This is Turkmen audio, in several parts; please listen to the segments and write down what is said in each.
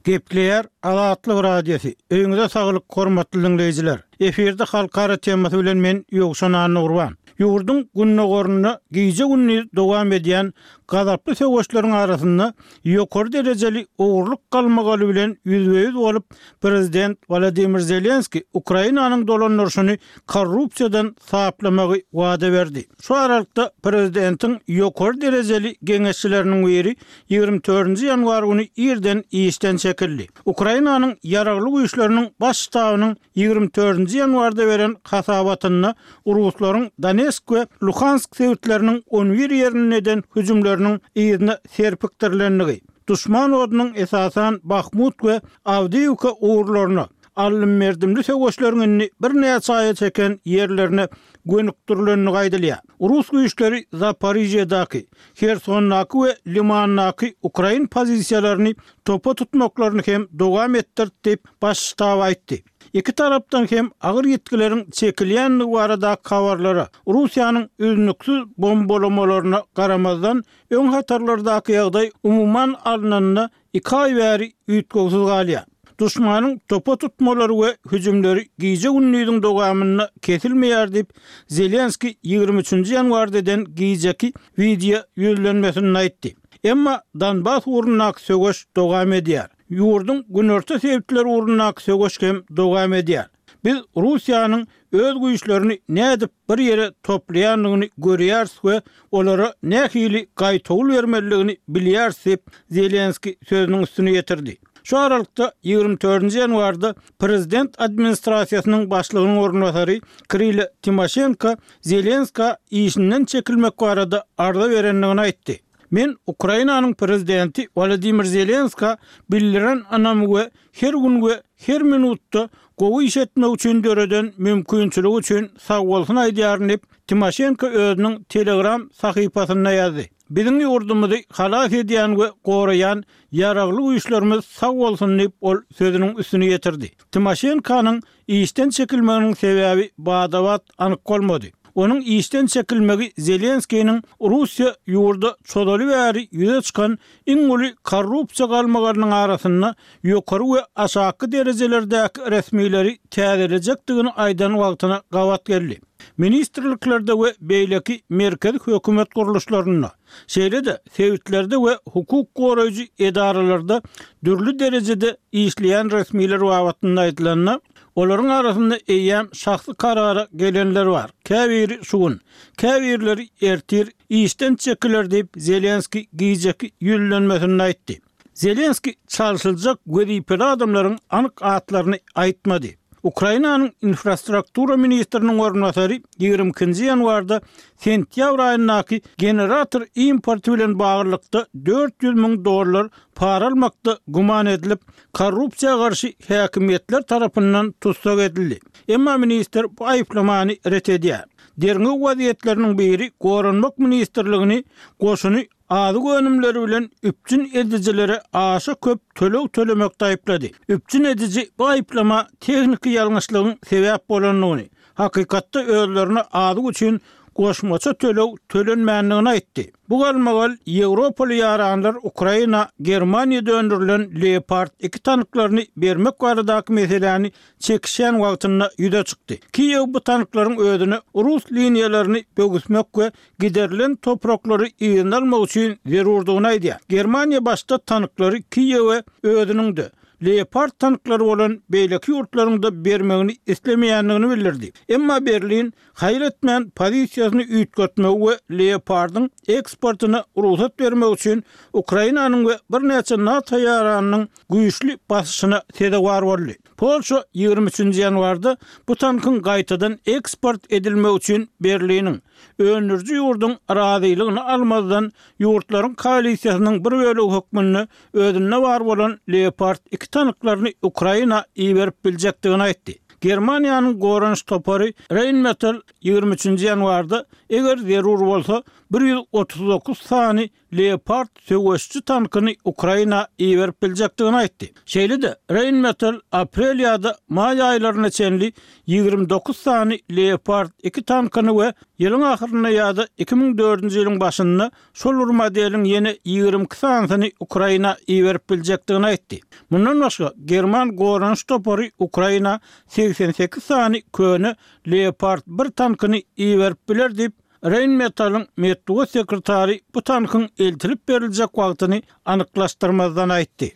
Gepleýär Azatlyk Radiosy, Öýüňize saglyk hormatly diňleýjiler! Efirde Halkara temasy bilen men Ýowşan Annagurban. Ýurduň gündogarynda gije-gündiz dowam edýän gazaply söweşleriň arasynda ýokary derejeli ogurlyk galmagaly bilen ýüzbe-ýüz bolup, prezident Wolodymyr Zelenskiý Ukrainanyň dolandyryşyny korrupsiýadan saplamagy wada berdi. Şu aralykda prezidentiň ýokary derejeli geňeşçileriniň biri 24 ýanwar güni irden işden çekildi. Ukrainanyň Ýaragly Güýçleriniň Baş ştabynyň 24 ýanwarda beren hasabatynda ruslaryň Donesk we Luhansk sebitleriniň on bir ýerinde eden hüjümleriniň yzyna serpikdirilendigi, duşman odunyň esasan Bahmut we Awdiýiwka ugurlaryna, aldym-berdimli söweşleriň indi birnäçe aýa çeken ýerlerine gönükdirilendigi aýdylýar. Rus güýçleri Zaporižýadaky, Hersondaky we Limandaky ukrain pozisiýalaryny topa tutmaklaryny hem dowam etdirdi diýip, Baş ştab aýtdy. Iki tarapdan hem agyr ýitgileriň çekilýändigi baradaky habarlara, Russiýanyň üznüksiz bombalamalaryna garamazdan, öň hatarlardaky ýagdaý umuman alnanda Iki aý bäri üýtgewsiz galýar. Duşmanyň topa tutmalary we hüjümleri gije-gündiziň dowamynda kesilmeýär diýip, Zelenskiý 23 nji ýanwarda eden gijeki wideo ýüzlenmesinde aýtdy. Emma Donbas ugrundaky söweş dowam edýär. Ýurduň günorta sebitleri ugrundaky söweş hem dowam edýär. Biz Russiýanyň öz güýçlerini nädip bir ýere toplaýandygyny görýäris we olara nähili gaýtawul bermelidigini bilýäris diýip, Zelenskiý sözüniň üstüni ýetirdi. Şu aralykda, 24 nji ýanwarda prezident administrasiýasynyň başlygynyň orunbasary Kirilo Timoşenko Zelenskä işinden çekilmek barada arza berendigini aýtdy. Men Ukrainanyň prezidenti Wolodymyr Zelenskä bildiren ynamy we her gün we her minutda gowy iş etmek üçin döreden mümkinçiligi üçin sagbolsun aýdýaryn diýip, Timoşenko özüniň Telegram sahypasynda ýazdy. Biziň ýurdumyzy halas edýän we goraýan Ýaragly Güýçlerimiz sag bolsun diýip, ol sözüniň üstüni ýetirdi. Timoşenkonyň Işden çekilmeginiň sebäbi bada-bat anyk bolmady. Onuň işden çekilmegi Zelenskiniň Russiýa ýurda çozaly bäri ýüze çykan iň uly korrupsiýa galmagalynyň arasynda ýokary we aşaky derejelerdäki resmileri täzelejekdigini aýdan wagtyna gabat geldi. Ministrliklerde we beýleki merkezi hökümet gurluşlarynda, şeýle-de sebitlerde we hukuk goraýjy edaralarda dürli derejede işleýän resmiler babatynda aýdylanda, olaryň arasynda eýýäm şahsy karara gelenler bar, käbiri şu gün, käbirleri ertir işden çekiler diýip, Zelenskiý gijeki ýüzlenmesinde aýtdy. Zelenskiý çalşyljak wezipeli adamlaryň anyk atlaryny aýtmady. Ukrainanyň infrastruktura ministriniň orunbasary 22 nji ýanwarda sentýabr aýyndaky generator importy bilen baglylykda 400 müň dollar para almakda güman edilip, korrupsiýa garşy häkimiýetler tarapyndan tussag edildi. Emma ministr bu aýyplamany ret edýär. Derňew wezýetleriniň biri Goranmak ministrligini goşuny azyk önümleri bilen üpjün edijilere aşa köp töleg tölemekde aýyplady. Üpjün ediji bu aýyplama tehniki ýalňyşlygyň sebäp bolandygyny, hakykatda özlerine azyk üçin goşmaça töleg tölenmändigini aýtdy. Bu galmagal ýewropaly ýaranlar Ukraina Germaniýada öndürilen Leopard 2 tanklaryny bermek baradaky meseläni çekişýän wagtynda ýüze çykdy. Kiýew bu tanklaryň özüne rus liniýalaryny böwüsmek we giderilen topraklary yzyna almak üçin zerurdygyny aýdýar. Germaniýa başda tanklary Kiýewe özüniň-de, Leopard tanklary bolan beýleki ýurtlaryň-da bermegini islemeýändigini bildirdi. Emma Berlin haýal etmän pozisiýasyny üýtgetmegi we Leopardyň eksportyna rugsat bermek üçin Ukrainanyň we birnäçe NATO ýaranynyň güýçli basyşyna sezewar boldy. Polşa 23 nji ýanwarda bu tankyň gaýtadan eksport edilmegi üçin Berliniň, öndüriji ýurduň razylygyny almazdan ýurtlaryň koalisiýasynyň bir bölegi hökmünde özünde bar bolan Leopard 2 tanklaryny Ukraina iberip biljekdigini aýtdy. Germaniýanyň goranyş topary Rheinmetall 23 nji ýanwarda, eger zerur bolsa, 139 sany. Leopard söweşiji tankyny Ukraina iberip biljekdigini aýtdy. Şeýle-de, Rheinmetall aprel ýa-da maý aýlaryna çenli 29 sany Leopard iki tankyny we ýylyň ahyrynda ýa-da 2004-nji ýylyň başynda şol bir modeliň ýene 22 sanysyny Ukraina iberip biljekdigini aýtdy. Mundan başga, german goranyş topary Ukraina 88 sany köne Leopard bir tankyny iberip biler diýip, Rheinmetall-yň metbugat sekretary bu tankyň eltilip beriljek wagtyny anyklaşdyrmazdan aýtdy.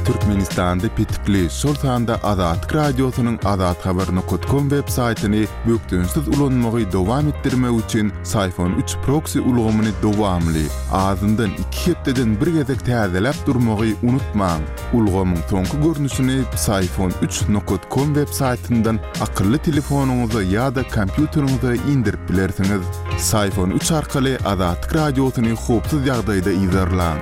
Türkmenistanda petikli, şol sanda Azatlyk Radiosynyň azathabar nokat kom web saýtyny bökdençsiz ulanmagy dowam etdirmek üçin Syfon üç proksi ulgamyny dowamly, azyndan iki hepdeden bir gezek täzeläp durmagy unutmaň. Ulgamyň soňky görnüşini Psiphon üç nokat kom web saýtyndan akylly telefonyňyza ýa-da kompýuteriňize indirip bilersiňiz. Psiphon üç arkaly Azatlyk Radiosyny howpsuz ýagdaýda yzarlaň.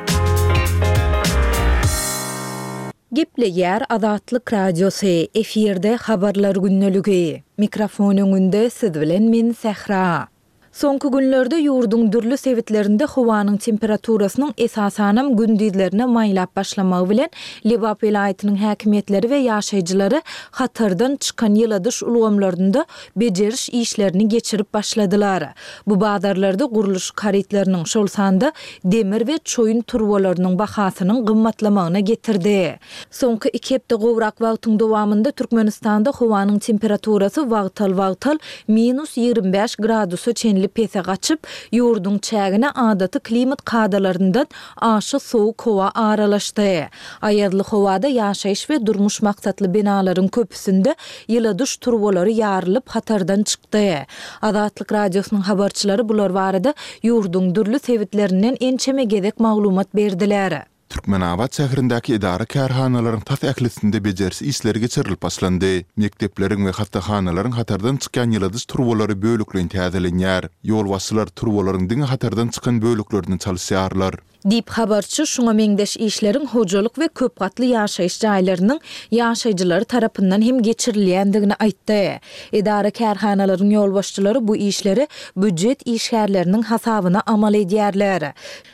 Gepleýär Azatlyk Radiosy, efirde Habarlar gündeligi. Mikrofon öňünde siz bilen men Sähra. Soňky günlerde ýurduň dürli sebitlerinde howanyň temperaturasynyň esasanam gündizlerine maýlap başlamagy bilen, Lebap welaýatynyň häkimiýetleri we ýaşaýjylary hatardan çykan ýyladyş ulgamlarynda bejeriş işlerini geçirip başladylar. Bu bazarlarda gurluşyk harytlarynyň, şol sanda demir we çoýun turbalarynyň bahasynyň gymmatlamagyna getirdi. Soňky iki hepde gowrak wagtyň dowamynda Türkmenistanda howanyň temperaturasy wagtal-wagtal minus 25 gradusa çenli pese gaçyp, ýurduň çägine adaty klimat kadalaryndan aşa sowuk howa aralaşdy. Aýazly howada ýaşaýyş we durmuş maksatly binalaryň köpüsinde ýyladyş turbalary ýarylyp, hatardan çykdy. Azatlyk Radiosynyň habarçylary bular barada ýurduň dürli sebitlerinden ençeme gezek maglumat berdiler. Türkmenabat şäherindäki edara-kärhanalaryň tas ählisinde bejeriş işleri geçirilip başlandy. Mekdepleriň we hassahanalaryň hatardan çykýan ýyladyş turbalary bölekleýin täzelenýär. Ýolbaşçylar turbalaryň diňe hatardan çykan böleklerini çalyşýarlar. Diýip, habarçy şuňa meňzeş işleriň hojalyk we köp gatly ýaşaýyş jaýlarynyň ýaşaýjylary tarapyndan hem geçirilýändigini aýtdy. Edara-kärhanalaryň ýolbaşçylary bu işleri býujet işgärleriniň hasabyna amal edýärler.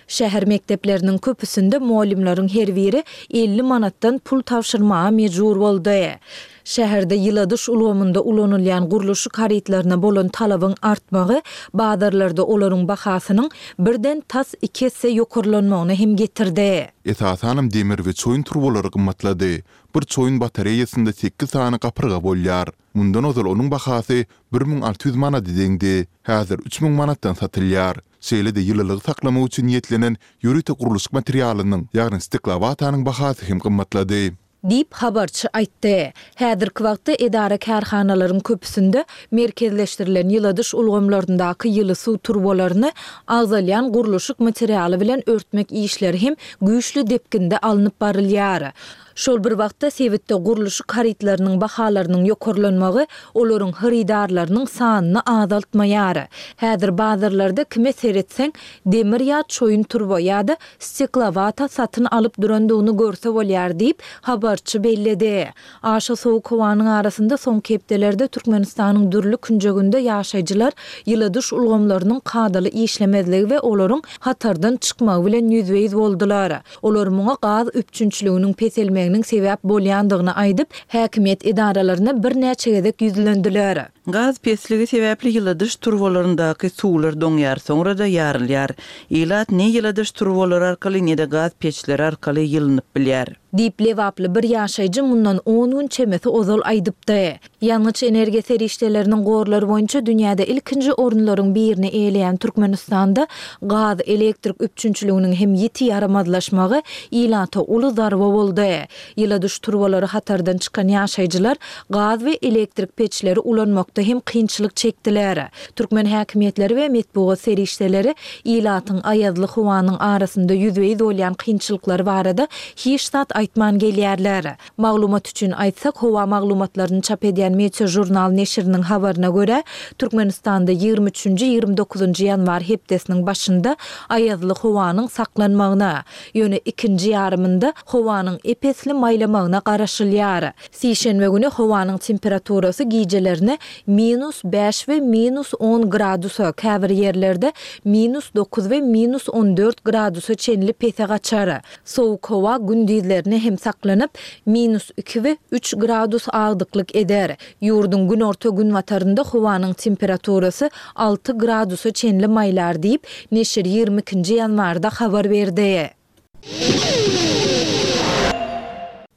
Şäher mekdepleriniň köpüsinde mugallymlaryň her biri 50 manatdan pul tabşyrmaga mejbur boldy. Şäherde ýyladyş ulgamynda ulanylýan gurluşyk harytlaryna bolan talabyň artmagy bazarlarda olaryň bahasynyň birden tas iki esse ýokarlanmagyna hem getirdi. Esasanam demir we çoýun turbalary gymmatlady. Bir çoýun batareýasynda sekiz sany gapyrga bolýar. Mundan ozal onuň bahasy 1600 manada deňdi. Häzir 3000 manatdan satylýar. Şeýle-de ýylylygy saklamak üçin niýetlenen ýörite gurluşyk materialynyň, ýagny steklowatanyň bahasy hem gymmatlady. Diýip, habarçy aýtdy. Häzirki wagtda edara-kärhanalaryň köpüsinde merkezleşdirilen ýyladyş ulgamlaryndaky ýyly suw turbalaryny agzalýan gurluşyk materialy bilen örtmek işleri hem güýçli depginde alnyp barylýar. Şol bir wagtda, sebitde gurluşyk harytlarynyň bahalarynyň ýokarlanmagy olaryň hyrydarlarynyň sanyny azaltmaýar. Häzir bazarlarda kime seretseň, demir ýa çoýun turba ýa-da steklowata satyn alyp durandygyny görse bolýar diýip, habarçy belledi. Aşa sowuk howanyň arasynda soňky hepdelerde Türkmenistanyň dürli künjeginde ýaşaýjylar ýyladyş ulgamlarynyň kadaly işlemezligi we olaryň hatardan çykmagy bilen ýüzbe-ýüz boldular. Olar muňa gaz üpjünçiliginiň peselmeginiň sebäp bolýandygyny aýdyp, häkimiýet edaralaryna birnäçe gezek ýüzlendiler. Gaz pesligi sebäpli ýyladyş turbalaryndaky suwlar doňýar, soňra-da ýarylýar. Ilat ne ýyladyş turbalary arkaly, ne-de gaz peçleri arkaly ýylynyp bilýär. Diýip, lebaply bir ýaşaýjy mundan on gün çemesi ozal aýdypdy. Ýangyç-energiýa serişdeleriniň gorlary boýunça dünýäde ilkinji orunlaryň birini eýeleýän Türkmenistanda gaz, elektrik üpjünçiliginiň hem ýiti ýaramazlaşmagy ilata uly zarba boldy. Ýyladyş turbalary hatardan çykan ýaşaýjylar gaz we elektrik peçleri ulanmakda hem kynçylyk çekdiler. Türkmen häkimiýetleri we metbugat serişdeleri ilatyň aýazly howanyň arasynda ýüzbe-ýüz bolýan kynçylyklary barada hiç zat. aýtman gelýärler. Maglumat üçin aýtsak, howa maglumatlaryny çap edýän Meteožurnal neşiriniň habaryna görä, Türkmenistanda 23 üçünji, 29 njy ýanwar hepdesiniň başynda aýazly howanyň saklanmagyna, ýöne ikinji ýarymynda howanyň ep-esli maýlamagyna garaşylýar. Sişenbe güni howanyň temperaturasy gijelerine minus bäş we minus on gradusa, käbir ýerlerde minus dokuz we minus on dört gradusa çenli pese gaçar. Sowuk howa gündizlerine hem saklanyp, minus iki we üç gradus agdyklyk eder. Ýurduň günorta-günbatarynda howanyň temperaturasy alty gradusa çenli maýlar diýip, neşir 22 nji ýanwarda habar berdi.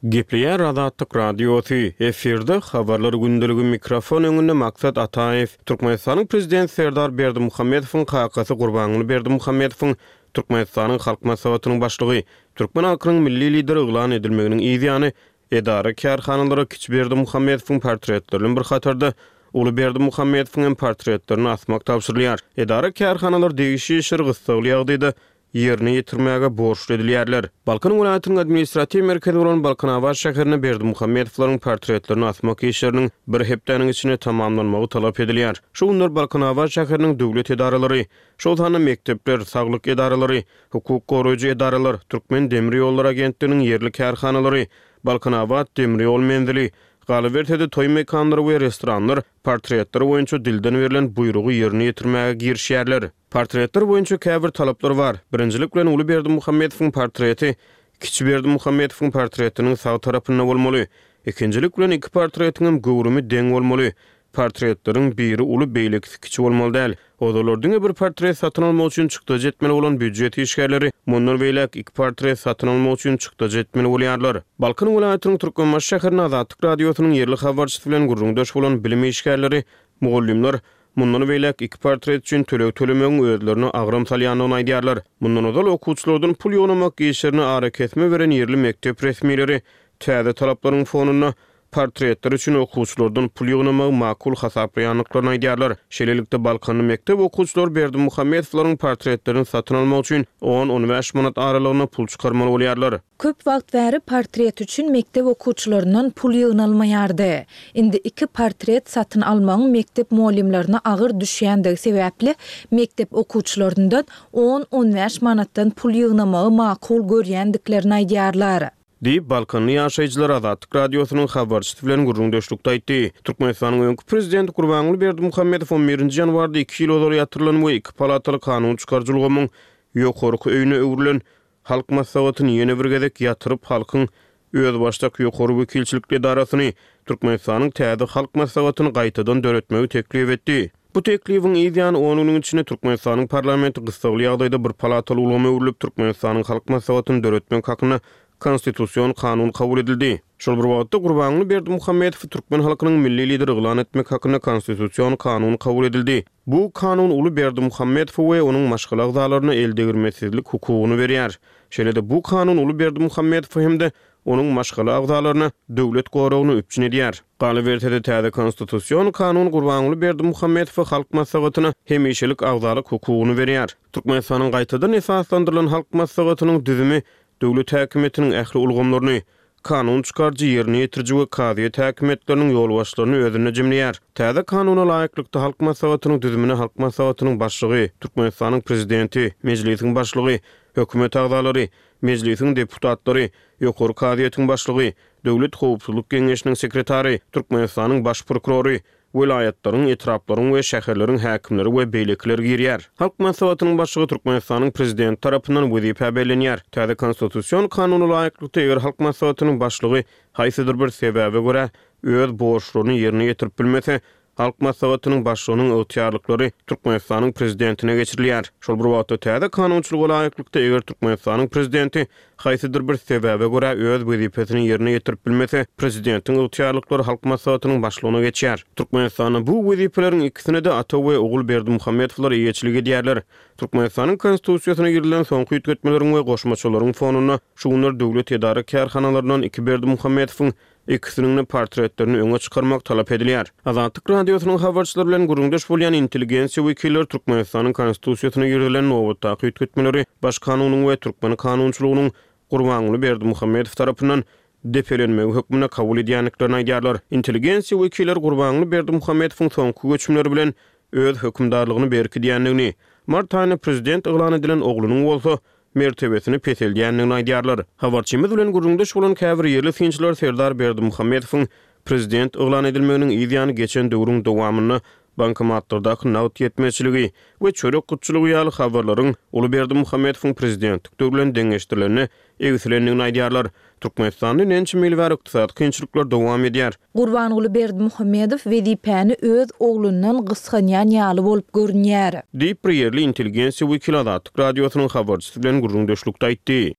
Gepleýär Azatlyk Radiosy, efirde Habarlar gündeligi mikrofon öňünde Maksat Ataýew. Türkmenistanyň Prezidenti Serdar Berdimuhamedowyň kakasy Gurbanguly Berdimuhamedowyň Türkmenistanyň Halk Maslahatynyň Başlygy, türkmen halkynyň Milli Lideri yglan edilmeginiň yz ýany, edara-kärhanalara kiçi Berdimuhamedowyň portretleri bilen bir hatarda, uly Berdimuhamedowyň hem portretlerini asmak tabşyrylýar. Edara-kärhanalar degişli işleri gyssagly ýagdaýda ýerine ýetirmäge borçly edilýärler. Balkan welaýatynyň administratiw merkezi bolan Balkanabat şäherinde Berdimuhamedowlaryň portretlerini asmak işleriniň bir hepdäniň içinde tamamlanmagy talap edilýär. Şu günler Balkanabat şäheriniň döwlet edaralary, şol sanda mekdepler, saglyk edaralary, hukuk goraýjy edaralar, Türkmen demir ýollary agentliginiň ýerli kärhanalary, Balkanabat demir ýol menzili, galyberse-de toý mekanlary we restoranlar portretler boýunça dilden berlen buýrugy ýerine ýetirmäge girişýärler. Portretler boýunça käbir talaplar bar. Birinjilik bilen uly Berdimuhamedowyň portreti kiçi Berdimuhamedowyň portretiniň sag tarapynda bolmaly. Ikinjilik bilen iki portretiňem göwrümi deň bolmaly. Portretleriň biri uly beýlekisi kiçi bolmaly däl. Ozallar diňe bir portret satyn almak üçin çykdajy etmeli bolan býujet işgärleri mundan beýläk iki portret satyn almak üçin çykdajy etmeli bolýarlar. Balkan welaýatynyň Türkmenbaşy şäherinde Azatlyk Radiosynyň ýerli habarçysy bilen gürrüňdeş bolan bilim işgärleri, mugallymlar Mundan beýläk iki portret üçin töleg tölemegiň özlerine agram salýandygyny aýdýarlar. Mundan ozal okuwçylardan pul ýygnamak işlerine arakesme beren ýerli mekdep resmileri täze talaplaryň fonunda portretler üçin okuwçylardan pul ýygnamagy makul hasaplaýandyklaryny aýdýarlar. Şeýlelikde, balkanly mekdep okuwçylary Berdimuhamedowlaryň portretlerini satyn almak üçin on-on bäş manat aralygynda pul çykarmaly bolýarlar. Köp wagt bäri portret üçin mekdep okuwçylaryndan pul ýygnalmaýardy. Indi iki portret satyn almagyň mekdep mugallymlaryna agyr düşýändigi sebäpli, mekdep okuwçylaryndan on-on bäş manatdan pul ýygnamagy makul görýändiklerini aýdýarlar. Diýip, balkanly ýaşaýjylar Azatlyk Radiosynyň habarçysy bilen gürrüňdeşlikde aýtdy. Türkmenistanyň öňki prezidenti Gurbanguly Berdimuhamedow on birinji ýanwarda iki ýyl ozal ýatyrylan we iki palataly kanun çykaryjy ulgamyň ýokarky öýüne öwrülen Halk Maslahatyny ýene bir gezek ýatyryp, halkyň özbaşdak ýokary wekilçilikli edarasyny, Türkmenistanyň täze Halk Maslahatyny gaýtadan döretmegi teklip etdi. Bu teklibiň yz ýany on günüň içinde Türkmenistanyň parlamenti gyssagly ýagdaýda bir palataly ulgama öwrülip, Türkmenistanyň Halk Maslahatyny döretmek hakynda Konstitusion kanun kabul edildi. Şol bir wagtda, Gurbanguly Berdimuhamedowy türkmen halkynyň Milli Lideri yglan etmek hakynda Konstitusion kanun kabul edildi. Bu kanun uly Berdimuhamedowa we onuň maşgala agzalaryna eldegirmesizlik hukugyny berýär. Şeýle-de bu kanun uly Berdimuhamedowa hem-de onuň maşgala agzalaryna döwlet goragyny üpjün edýär. Galyberse-de, täze Konstitusion kanun Gurbanguly Berdimuhamedowa Halk Maslahatyna hemişelik agzalyk hukugyny berýär. Türkmenistanyň gaýtadan esaslandyrylan Halk Maslahatynyň düzümi döwlet häkimiýetiniň ähli ulgamlaryny, kanun çykaryjy, ýerine ýetiriji we kazyýet häkimiýetleriniň ýolbaşçylaryny özünde jemleýär. Täze Kanuna laýyklykda, Halk Maslahatynyň düzümine Halk Maslahatynyň Başlygy, Türkmenistanyň Prezidenti, Mejlisiň Başlygy, Hökümet agzalary, Mejlisiň deputatlary, Ýokary kazyýetiň Başlygy, Döwlet howpsuzlyk geňeşiniň sekretary, Türkmenistanyň Baş prokurory, welaýatlaryň, etraplaryň we şäherleriň häkimleri we beýlekiler girýär. Halk Maslahatynyň Başlygy Türkmenistanyň Prezidenti tarapyndan wezipä bellenýär. Täze Konstitusion kanuna laýyklykda, eger Halk Maslahatynyň Başlygy haýsydyr bir sebäbe görä öz borçlaryny ýerine ýetirip bilmese, Halk Maslahatynyň Başlygynyň ygtyýarlyklary Türkmenistanyň Prezidentine geçirilýär. Şol bir wagtda, täze kanunçylyga laýyklykda, eger Türkmenistanyň Prezidenti haýsydyr bir sebäbe görä öz wezipesini ýerine ýetirip bilmese, prezidentiň ygtyýarlyklary Halk Maslahatynyň Başlygyna geçýär. Türkmenistanda bu wezipeleriň ikisine-de ata we ogul Berdimuhamedowlar eýeçilik edýärler. Türkmenistanyň Konstitusiýasyna girizilen soňky üýtgetmeleriň we goşmaçalaryň fonunda şu günler döwlet edara-kärhanalaryndan iki Berdimuhamedowyň ikisiniň-de portretlerini öňe çykarmak talap edilýär. Azatlyk Radiosynyň habarçylary bilen gürrüňdeş bolýan intelligensiýa wekilleri Türkmenistanyň Konstitusiýasyna girizilen nobatdaky üýtgetmeleri Baş kanunyň we türkmen kanunçylygynyň. Gurbanguly Berdimuhamedow tarapyndan depelenmegi hökmünde kabul edýändiklerini aýdýarlar. Intelligensiýa wekilleri Gurbanguly Berdimuhamedowyň soňky göçümleri bilen öz hökümdarlygyny berkidýändigini, mart aýynda prezident yglan edilen oglunyň bolsa mertebesini peseldýändigini aýdýarlar. Habarçymyz bilen gürrüňdeş bolan käbir ýerli synçylar Serdar Berdimuhamedowyň prezident yglan edilmeginiň yz ýany geçen döwrüň dowamynda bankomatlardaky nagt ýetmezçiligi we çörek gytçylygy ýaly habarlaryň uly Berdimuhamedowyň prezidentlik döwri bilen deňeşdirilende egsilendigini aýdýarlar. Türkmenistanda ençeme ýyl bäri ykdysady kynçylyklar dowam edýär. Gurbanguly Berdimuhamedow wezipäni öz oglundan gysganýan ýaly bolup görünýär. Diýip, bir ýerli intelligensiýa wekili Azatlyk Radiosynyň habarçysy bilen gürrüňdeşlikde aýtdy.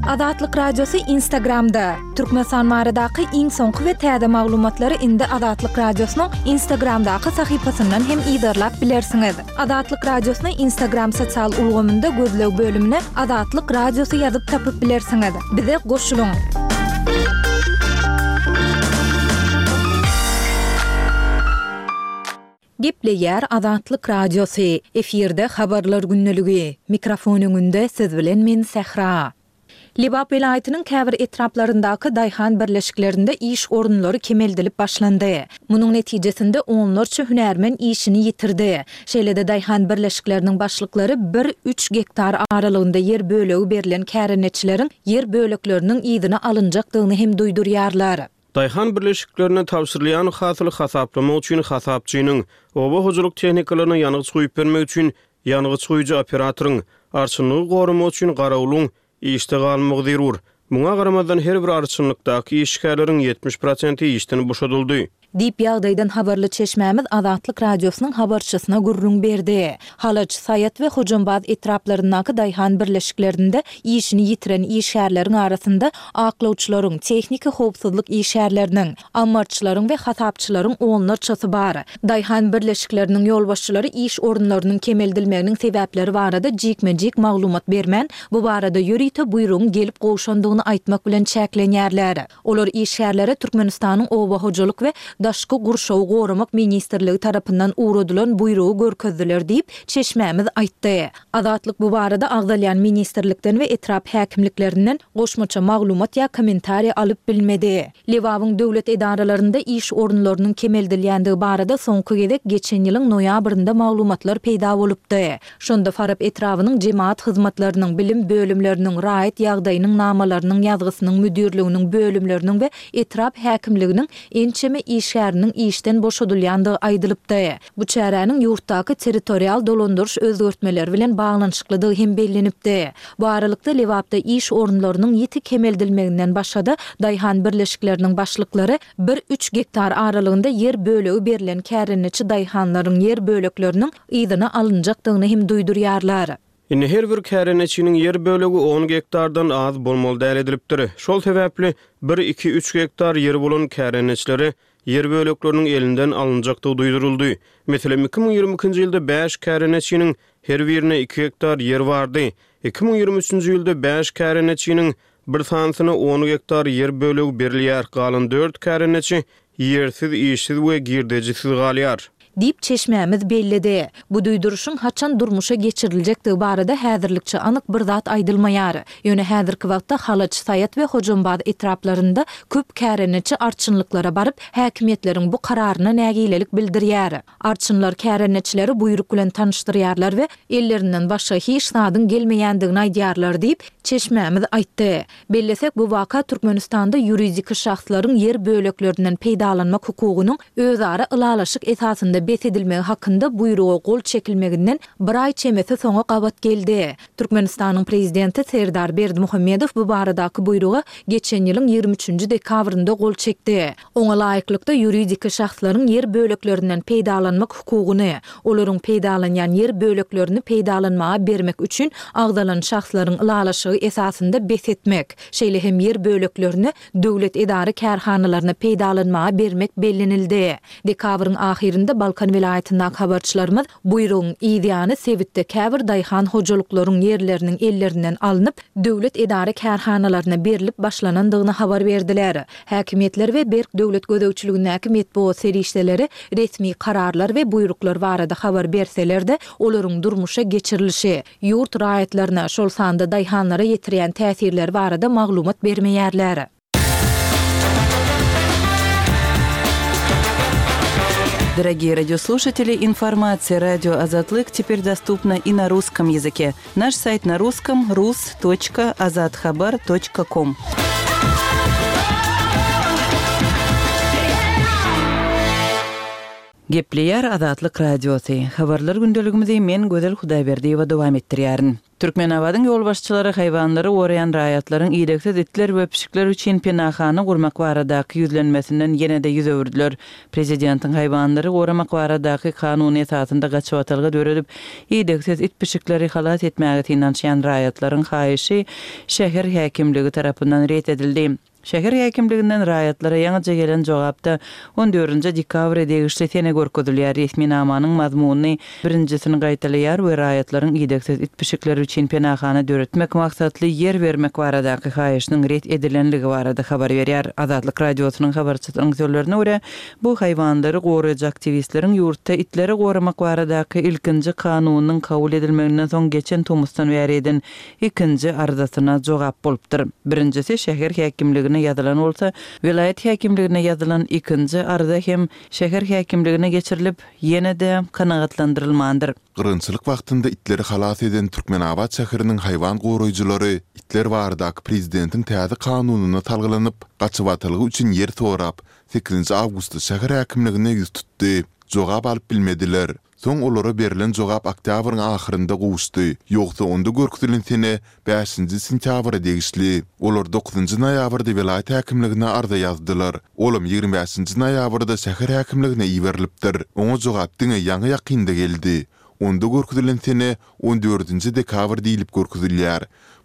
Azatlyk Radiosy Instagramda, Türkmenistan baradaky iň soňky we täze maglumatlary indi Azatlyk Radiosynyň Instagramdaky sahypasyndan hem yzarlap bilersiňiz. Azatlyk Radiosyny Instagram sosial ulgamynda gözleg bölümine Azatlyk Radiosy ýazyp tapyp bilersiňiz. Bize goşulyň! Gepleýär Azatlyk Radiosy, efirde Habarlar gündeligi. Mikrofon öňünde siz bilen men Sähra. Lebap welaýatynyň käbir etraplaryndaky daýhan birleşiklerinde iş orunlary kemeldilip başlandy. Munuň netijesinde onlarça hünärmen işini ýitirdi. Şeýle-de daýhan birleşikleriniň başlyklary bir, üç gektar aralygynda ýer bölegi berlen kärendeçileriň ýer bölekleriniň yzyna alynjakdygyny hem duýdurýarlar. Daýhan birleşiklerine tabşyrylýan hasyly hasaplamak üçin hasapçynyň, oba hojalyk tehnikalaryna ýangyç guýup bermek üçin ýangyç guýujy operatoryň, arçynlygy goramak üçin garawulyň işde galmagy zerur. Muňa garamazdan, her bir arçynlykdaky işgärleriň 70 prosenti işden boşadyldy. Diýip, ýagdaýdan habarly çeşmämiz Azatlyk Radiosynyň habarçysyna gürrüň berdi. Halaç, Saýat we Hojambaz etraplaryndaky daýhan birleşiklerinde işini ýitiren işgärleriň arasynda aklawçylaryň, tehniki howpsuzlyk işgärleriniň, ammarçylaryň we hasapçylaryň onlarçasy bar. Daýhan birleşikleriniň ýolbaşçylary iş orunlarynyň kemeldilmeginiň sebäpleri barada jikme-jik maglumat bermän, bu barada ýörite buýrugyň gelip gowşandygyny aýtmak bilen çäklenýärler. Olar işgärlere Türkmenistanyň Oba hojalyk we daşky gurşawy goramak ministrligi tarapyndan ugradylan buýrugy görkezdiler diýip, çeşmämiz aýtdy. Azatlyk bu barada agzalýan ministrlikden we etrap häkimliklerinden goşmaça maglumat ýa kommentariý alyp bilmedi. Lebabyň döwlet edaralarynda iş orunlarynyň kemeldilýändigi barada soňky gezek geçen ýylyň noýabrynda maglumatlar peýda bolupdy. Şonda Farap etrabynyň jemagat hyzmatlarynyň, bilim bölümleriniň, raýat ýagdaýynyň namalarynyň ýazgysynyň müdirliginiň bölümleriniň we etrap häkimliginiň ençeme işgäriniň işden boşadylýandygy aýdylypdy. Bu çäräniň ýurtdaky territorial dolandyryş özgertmeleri bilen baglanyşyklydygy hem bellenipdi. Bu aralykda, Lebapda iş orunlarynyň ýiti kemeldilmeginden başga-da, daýhan birleşikleriniň başlyklary bir-üç gektar aralygynda ýer bölegi berlen kärendeçi daýhanlaryň ýer bölekleriniň yzyna alynjakdygyny hem duýdurýarlar. Indi her bir kärendeçiniň ýer bölegi on gektardan az bolmaly däl edilipdir. Şol sebäpli, bir, iki, üç gektar ýeri bolan kärendeçilere ýer bölekleriniň elinden alynjakdygy duýduryldy. Meselem, 2022-nji ýylda bäş kärendeçiniň her birine iki gektar ýer bardy. 2023-nji ýylda bäş kärendeçiniň bir sanysyna on gektar ýer bölegi berilýär, galan dört kärendeçi ýersiz, işsiz we girdejisiz galýar. Diýip, çeşmämiz belledi. Bu duýduryşyň haçan durmuşa geçiriljekdigi barada häzirlikçe anyk bir zat aýdylmaýar. Ýöne häzirki wagtda Halaç, Saýat we Hojambaz etraplarynda köp kärendeçi arçynlyklara baryp, häkimiýetleriň bu kararyna nägilelik bildirýär. Arçynlar kärendeçileri buýruk bilen tanyşdyrýarlar we ellerinden başga hiç zadyň gelmeýändigini aýdýarlar diýip, çeşmämiz aýtdy. Bellesek, bu waka Türkmenistanda ýuridiki şahslaryň ýer böleklerinden peýdalanmak hukugynyň özara ylalaşyk esasynda bes edilmegi hakynda buýruga gol çekilmeginden bir aý çemesi soňa gabat geldi. Türkmenistanyň Prezidenti Serdar Berdimuhamedow bu baradaky buýruga geçen ýylyň 23-nji dekabrynda gol çekdi. Oňa laýyklykda, ýuridiki şahslaryň ýer böleklerinden peýdalanmak hukugyny, olaryň peýdalanýan ýer böleklerini peýdalanmaga bermek üçin agzalan şahslaryň ylalaşygy esasynda bes etmek, şeýle hem ýer böleklerini döwlet edara-kärhanalaryna peýdalanmaga bermek bellenildi. Dekabryň ahyrynda Balkan. Balkan welaýatyndaky habarçylarymyz buýrugyň yzýany sebitde käbir daýhan hojalyklaryň ýerleriniň ellerinden alnyp, döwlet edara-kärhanalaryna berlip başlanandygyny habar berdiler. Häkimiýetler we berk döwlet gözegçiligindäki metbugat serişdeleri resmi kararlar we buýruklar barada habar berseler-de, olaryň durmuşa geçirilişi, ýurt raýatlaryna, şol sanda daýhanlara ýetirýän täsirleri barada maglumat bermeýärler. Дорогие радиослушатели, информация радио Азатлык теперь доступна и на русском языке. Наш сайт на русском rus.azathabar.com. Gepleýär Azatlyk Radiosy. Habarlar gündeligimizi men Gözel Hudaýberdiýewa dowam etdirýärin. Türkmenabadyň ýolbaşçylary haýwanlary goraýan raýatlaryň idegsiz itler we pişikler üçin penahana gurmak baradaky ýüzlenmesinden ýene-de ýüz öwürdiler. Prezidentiň haýwanlary goramak baradaky kanuny esasynda gaçybatalga döredip, idegsiz it-pişikleri halas etmäge synanyşýan raýatlaryň haýyşy şäher häkimligi tarapyndan ret edildi. Şäher häkimliginden raýatlara ýaňyja gelen jogapda on dördünji dekabra degişli sene görkezilýär. Resminamanyň mazmunyny birinjisini gaýtalaýar we raýatlaryň idegsiz it-pişikleri üçin penahana döretmek maksatly ýer bermek baradaky haýyşynyň ret edilenligi barada habar berýär. Azatlyk Radiosynyň habarçysynyň sözlerine görä, bu haýwanlary goraýjy aktiwistleriň ýurtda itleri goramak baradaky ilkinji kanunyň kabul edilmeginden soň geçen tomusdan bäri eden ikinji arzasyna jogap bolupdyr. Birinjisi şäher häkimligine ýazylan bolsa, welaýat häkimligine ýazylan ikinji arza hem şäher häkimligine geçirilip, ýene-de kanagatlandyrylmandyr. Gyrgynçylyk wagtynda itleri halas eden Türkmenabat şäheriniň haýwan goraýjylary itler baradaky prezidentiň täze kanunyna salgylanyp, gaçybatalga üçin ýer sorap, sekizinji awgustda şäher häkimligine ýüz tutdy. Jogap alyp bilmediler. Soň olara berlen jogap oktýabryň ahyrynda gowuşdy, ýogsa onda görkezilen sene bäşinji sentýabra degişli. Olar dokuzynjy noýabrda welaýat häkimligine arza ýazdylar. Olam 25 bäşinji noýabrda şäher häkimligine iberilipdir. Oňa jogap diňe ýaňy-ýakynda geldi. Onda görkezilen sene on dördünji dekabr diýlip görkezilýär.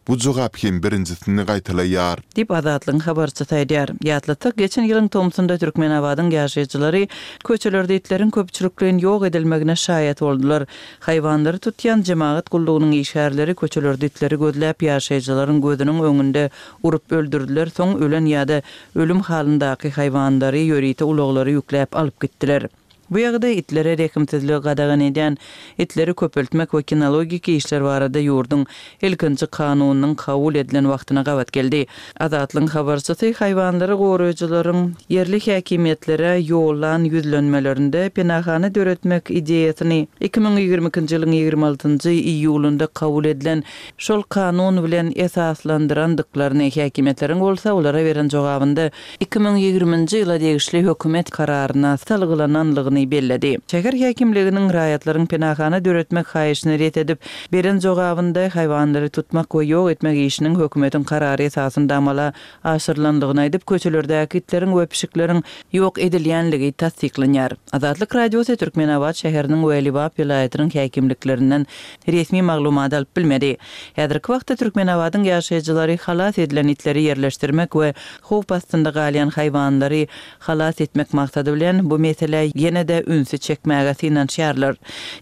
Bu jogap hem birinjisini gaýtalaýar. Diýip, Azatlygyň habarçysy aýdýar. Ýatlatsak, geçen ýylyň tomsunda Türkmenabadyň ýaşaýjylary köçelerde itleriň köpçülikleýin ýok edilmegine şaýat boldular. Haýwanlary tutýan jemagat gullugynyň işgärleri köçelerde itleri gözläp, ýaşaýjylaryň gözüniň öňünde urup öldürdiler, soň ölen ýa-da ölüm halyndaky haýwanlary ýörite ulaglara ýükläp alyp gitdiler. Bu ýagdaý itlere rehimsizligi gadagan edýän itleri köpeltmek we kinologik işler barada ýurduň ilkinji kanunynyň kabul edilen wagtyna gabat geldi. Azatlygyň habarçysy haýwanlary goraýjylaryň ýerli häkimiýetlere ýollan ýüzlenmelerinde penahana döretmek ideýasyny 2022-nji ýylyň 26-njy iýulynda kabul edilen şol kanun bilen esaslandyrandyklaryny, häkimiýetleriň bolsa olara beren jogabynda 2020-nji ýyla degişli hökümet kararyna salgylananlygyny belledi. Şäher häkimliginiň raýatlaryň penahana döretmek haýyşyny ret edip, beren jogabynda haýwanlary tutmak we ýok etmek işiniň hökümetiň karary esasynda amala aşyrylanlygyny aýdyp, köçelerdäki itleriň we pişikleriň ýok edilýänligi tassyklanýar. Azatlyk Radiosy Türkmenabat şäheriniň we Lebap welaýatynyň häkimliklerinden resmi maglumat alyp bilmedi. Häzirki wagtda Türkmenabadyň ýaşaýjylary halas edilen itleri ýerleşdirmek we howp astynda galýan haýwanlary halas etmek maksady bilen bu meselä ýene-de ünsi çekmäge synanyşýarlar.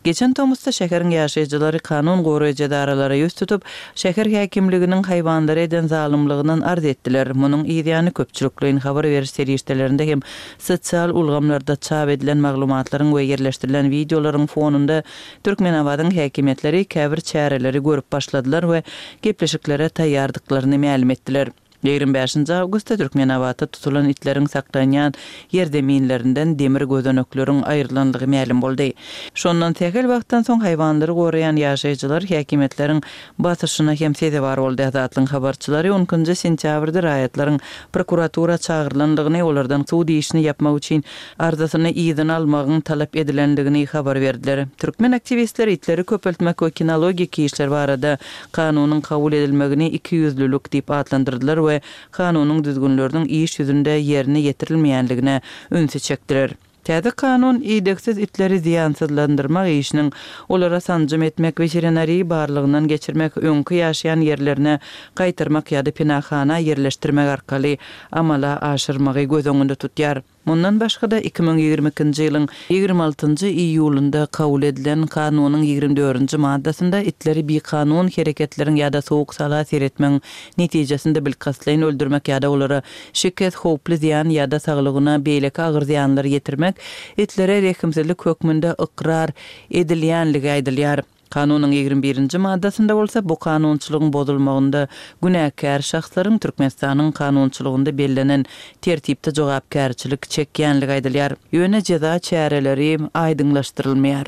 Geçen tomusda şäheriň ýaşaýjylary kanun goraýjy edaralara ýüz tutup, şäher häkimliginiň haýwanlara eden zalymlygyndan arz etdiler. Munuň yzýany köpçülikleýin habar beriş serişdelerinde hem sosial ulgamlarda çap edilen maglumatlaryň we ýerleşdirilen wideolaryň fonunda Türkmenabadyň häkimiýetleri käbir çäreleri görüp başladylar we gepleşiklere taýýardyklaryny mälim etdiler. 25-nji awgustda Türkmenabatda tutulan itleriň saklanýan ýerzeminlerinden demir gözenekleriň aýrylandygy mälim boldy. Şondan sähel wagtdan soň haýwanlary goraýan ýaşaýjylar häkimiýetleriň basyşyna hem sezewar boldy. Azatlygyň habarçylary on ikinji sentýabrda raýatlaryň prokuratura çagyrylandygyny, olardan sud işini ýapmak üçin arzasyny yzyna almagyň talap edilendigini habar berdiler. Türkmen aktiwistleri itleri köpeltmek we kinologik işler barada kanunyň kabul edilmegini ikiýüzlülik diýip atlandyrdylar we kanunyň düzgünleriniň iş ýüzünde ýerine ýetirilmeýänligine ünsi çekdiler. Täze kanun idegsiz itleri zyýansyzlandyrmak işiniň, olara sanjym etmek, weterinariýa barlagyndan geçirmek, öňki ýaşaýan ýerlerine gaýtarmak ýa-da penahana ýerleşdirmek arkaly amala aşyrmagy göz öňünde tutýar. Mundan başga-da, 2022-nji ýylyň 26-njy iýulynda kabul edilen Kanunyň 24-nji maddasynda itleri bikanun hereketleriň ýa-da sowuk-sala seretmegiň netijesinde bilkastlaýyn öldürmek ýa-da olara şikes, howply zyýan ýa-da saglygyna beýleki agyr zyýanlar ýetirmek itlere rehimsizlik hökmünde ykrar edilýänligi aýdylýar. Kanunyň 21-nji maddasynda bolsa bu kanunçylygyň bozulmagynda günäkär şahslaryň Türkmenistanyň kanunçylygynda bellenen tertipde jogapkärçilik çekýänligi aýdylýar. Ýöne jeza çäreleri aýdyňlaşdyrylmaýar.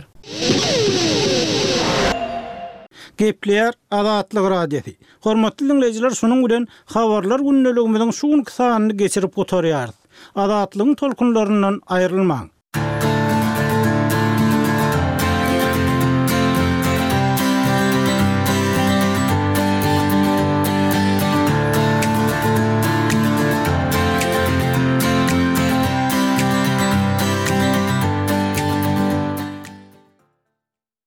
Gepleýär Azatlyk Radiosy. Hormatly diňleýjiler şunuň bilen Habarlar gündeligimiziň şu günki sanyny geçirip gutarýarys. Azatlygyň tolkunlaryndan aýrylmaň!